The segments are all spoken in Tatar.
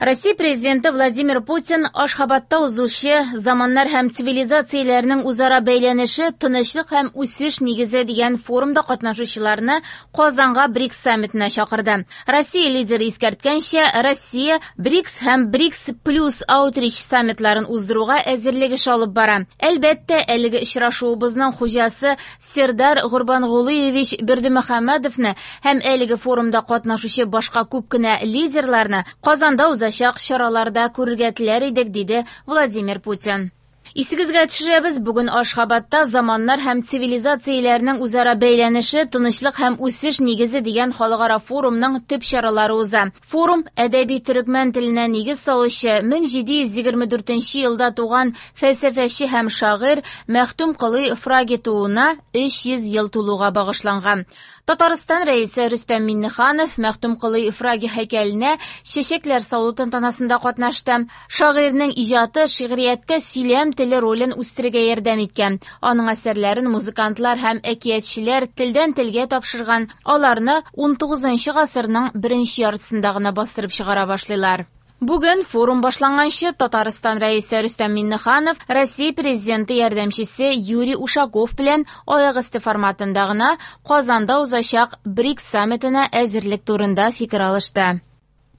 Россия президенты Владимир Путин Ашхабадта узучы «Заманнар һәм цивилизацияләрнең үзара бәйләнеше тынычлык һәм үсеш нигезе» дигән форумда катнашучыларны Казанга БРИКС саммитына чакырды. Россия лидеры искәрткәнчә, Россия БРИКС һәм БРИКС плюс аутрич саммитларын уздыруга әзерлек эше алып бара. Әлбәттә, әлеге очрашуыбызның хуҗасы Сердар Гурбангулыевич Бердымөхәммәдовны һәм әлеге форумда катнашучы башка күп кенә лидерларны Казанда узачак чараларда күрергә теләр идек, диде Владимир Путин. Исегезгә төшерәбез, бүген Ашхабадта «Заманнар һәм цивилизацияләрнең үзара бәйләнеше, тынычлык һәм үсеш нигезе» дигән халыкара форумның төп чаралары уза. Форум әдәби төрекмән теленә нигез салучы 1724 елда туган фәлсәфәче һәм шагыйрь Мәхтүм Колый Фраги тууына 300 ел тулуга багышланган. Татарстан Рәисе Рөстәм Миңнеханов Мәхтүм Колый Фраги һәйкәленә чәчәкләр салу тантанасында катнашты. Шагыйрьнең иҗаты шигърияттә сөйләм теле ролен үстерергә ярдәм иткән. Аның әсәрләрен музыкантлар һәм әкиятчеләр телдән телгә тапшырган. Аларны 19 гасырның беренче яртысында гына бастырып чыгара башлыйлар. Бүген форум башланганчы Татарстан Рәисе Рөстәм Миңнеханов Россия Президенты ярдәмчесе Юрий Ушаков белән аяк өсте форматында гына Казанда узачак БРИКС саммитына әзерлек турында фикер алышты.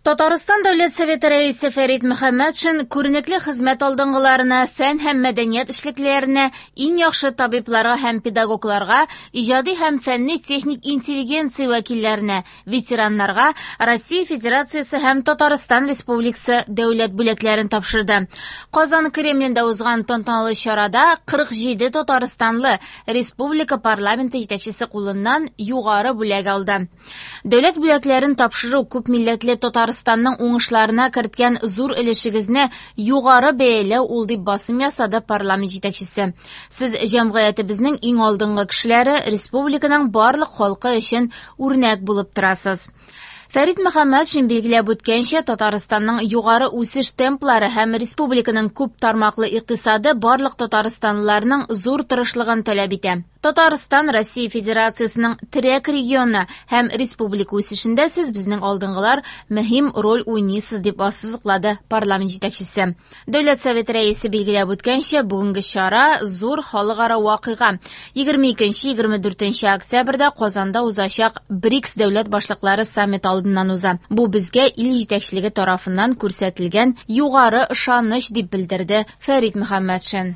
Татарстан Дәүләт Советы Рәисе Фәрит Мөхәммәтшин күренекле хезмәт алдынгыларына, фән һәм мәдәният эшлеклеләренә, иң яхшы табибларга һәм педагогларга, иҗади һәм фәнни-техник интеллигенция вәкилләренә, ветераннарга Россия Федерациясе һәм Татарстан Республикасы дәүләт бүләкләрен тапшырды. Казан Кремлендә узган тантаналы чарада 47 татарстанлы республика парламенты җитәкчесе кулыннан югары бүләк алды. Дәүләт бүләкләрен тапшыру күп милләтле Татарстанның уңышларына керткән зур өлешегезне югары бәяләү ул, дип басым ясады парламент җитәкчесе. Сез җәмгыятебезнең иң алдынгы кешеләре, республиканың барлык халкы өчен үрнәк булып торасыз. Фәрит Мөхәммәтшин билгеләп үткәнчә, Татарстанның югары үсеш темплары һәм республиканың күп тармаклы икътисады барлык татарстанлыларның зур тырышлыгын таләп итә. Татарстан Россия Федерациясенең терәк регионы һәм республика үсешендә сез безнең алдынгылар мөһим роль уйныйсыз, дип ассызыклады парламент җитәкчесе. Дәүләт Советы рәисе билгеләп үткәнчә, бүгенге чара зур халыкара вакыйга. 22-24 октябрьдә Казанда узачак БРИКС дәүләт башлыклары саммиты алдыннан уза. Бу безгә ил җитәкчелеге тарафыннан күрсәтелгән югары ышаныч, дип белдерде Фәрит Мөхәммәтшин.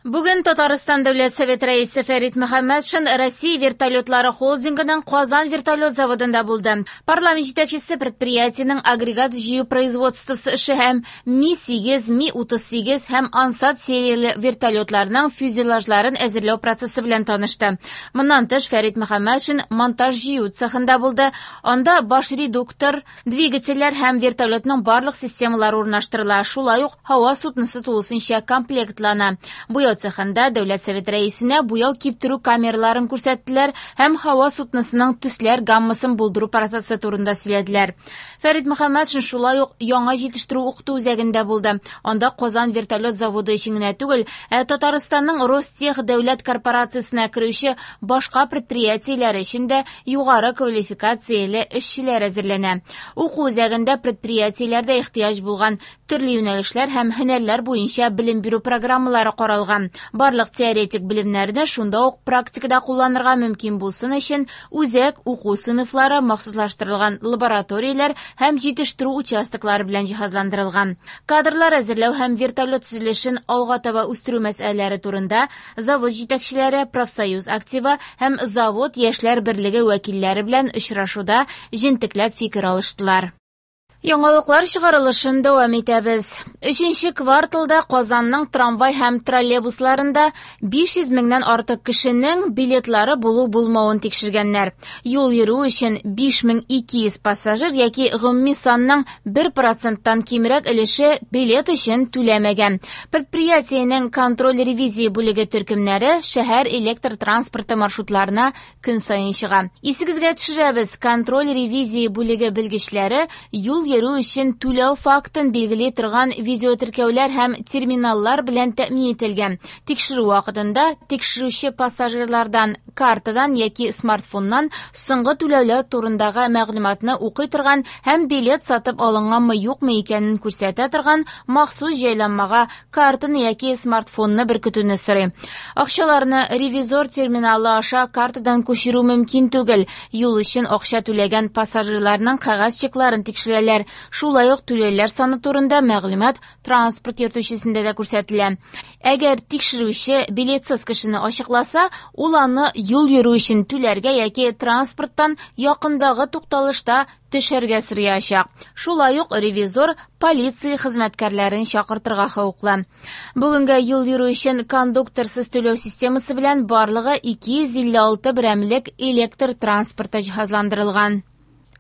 Бүген Татарстан Дәүләт Советы рәисе Фәрит Мөхәммәтшин Россия вертолетлары холдингының Казан вертолет заводында булды. Парламент җитәкчесе предприятиенең агрегат җыю производствосы эше һәм Ми-8, Ми-38 һәм Ансат серияле вертолетларның фюзеляжларын әзерләү процессы белән танышты. Моннан тыш Фәрит Мөхәммәтшин монтаж җыю цехында булды. Анда баш редуктор, двигательләр һәм вертолетның барлык системалары урнаштырыла. Шулай ук һава судносы тулысынча комплектлана. Буяу цехында Дәүләт Советы рәисенә буяу киптерү камераларын күрсәттеләр һәм һава судносының төсләр гаммасын булдыру процессы турында сөйләделәр. Фәрит Мөхәммәтшин шулай ук яңа җитештерү укыту үзәгендә булды. Анда Казан вертолет заводы өчен генә түгел, ә Татарстанның Ростех дәүләт корпорациясенә керүче башка предприятиеләр өчен дә югары квалификацияле эшчеләр әзерләнә. Уку үзәгендә предприятиеләрдә ихтыяҗ булган төрле юнәлешләр һәм һөнәрләр буенча белем бирү программалары каралган. Барлык теоретик белемнәрне шунда ук практикада кулланырга мөмкин булсын өчен үзәк уку сыйныфлары, махсуслаштырылган лабораторияләр һәм җитештерү участоклары белән җиһазландырылган. Кадрлар әзерләү һәм вертолет төзелешен алга таба үстерү мәсьәләләре турында завод җитәкчеләре, профсоюз активы һәм завод яшьләр берлеге вәкилләре белән очрашуда җентекләп фикер алыштылар. Яңалыклар чыгарылышын дәвам итәбез. Өченче кварталда Казанның трамвай һәм троллейбусларында 500 меңнән артык кешенең билетлары булу-булмавын тикшергәннәр. Юл йөрү өчен 5200 пассажир яки гомуми санның 1%-тан кимрәк өлеше билет өчен түләмәгән. Предприятиенең контроль ревизия бүлеге төркемнәре шәһәр электр транспорты маршрутларына көн саен чыга. Исегезгә төшерәбез, контроль ревизия бүлеге белгечләре юл йөрү өчен түләү фактын билгели торган видеотеркәүләр һәм терминаллар белән тәэмин ителгән. Тикшерү вакытында тикшерүче пассажирлардан картадан яки смартфоннан соңгы түләүләр турындагы мәгълүматны укый торган һәм билет сатып алынганмы-юкмы икәнен күрсәтә торган махсус җайланмага картаны яки смартфонны беркетүне сорый. Акчаларны ревизор терминалы аша картадан күчерү мөмкин түгел. Юл өчен акча түләгән пассажирларның кәгазь чекларын тикшерәләр. Шулай ук түләүләр саны турында мәгълүмат транспорт йөртүчесендә дә күрсәтелә. Әгәр тикшерүче билетсыз кешене ачыкласа, ул аны юл йөрү өчен түләргә яки транспорттан якындагы тукталышта төшәргә сораячак. Шулай ук ревизор полиция хезмәткәрләрен чакыртырга хокуклы. Бүгенгә юл йөрү өчен кондукторсыз түләү системасы белән барлыгы 256 берәмлек электр транспорты җиһазландырылган.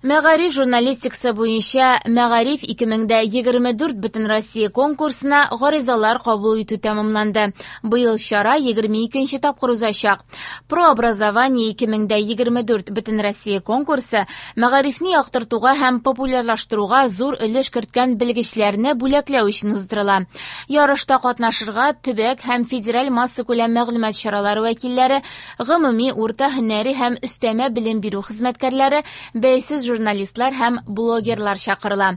Мәгариф журналистикасы буенча Мәгариф 2024 Бөтенроссия конкурсына гаризалар кабул итү тәмамланды. Быел чара 22 тапкыр узачак. Прообразование 2024 Бөтенроссия конкурсы мәгарифне яктыртуга һәм популярлаштыруга зур өлеш керткән белгечләрне бүләкләү өчен уздырыла. Ярышта катнашырга төбәк һәм федераль массакүләм мәгълүмат чаралары вәкилләре, гомуми урта һөнәри һәм өстәмә белем бирү хезмәткәрләре, бәйсез журналистлар һәм блогерлар чакырыла.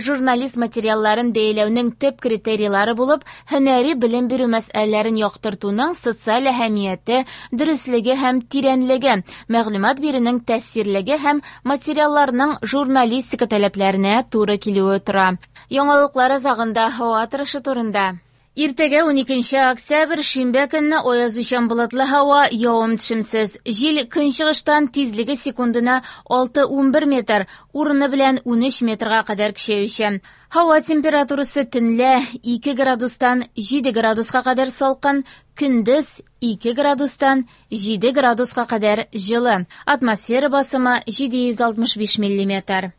Журналист материалларын бәяләүнең төп критерийлары булып, һөнәри белем бирү мәсьәләләрен яктыртуның социаль әһәмияте, дөреслеге һәм тирәнлеге, мәгълүмат бирүнең тәэсирлеге һәм материалларның журналистика таләпләренә туры килүе тора. Яңалыклар азагында һава торышы турында. Иртәгә 12 октябрь шимбә көнне аязучан болытлы һава, явым-төшемсез. Җил көнчыгыштан тизлеге секундына 6-11 метр, урыны белән 13 метрга кадәр көчәючән. Һава температурасы төнлә 2 градустан 7 градуска кадәр салкын, көндез 2 градустан 7 градуска кадәр җылы. Атмосфера басымы 765 миллиметр.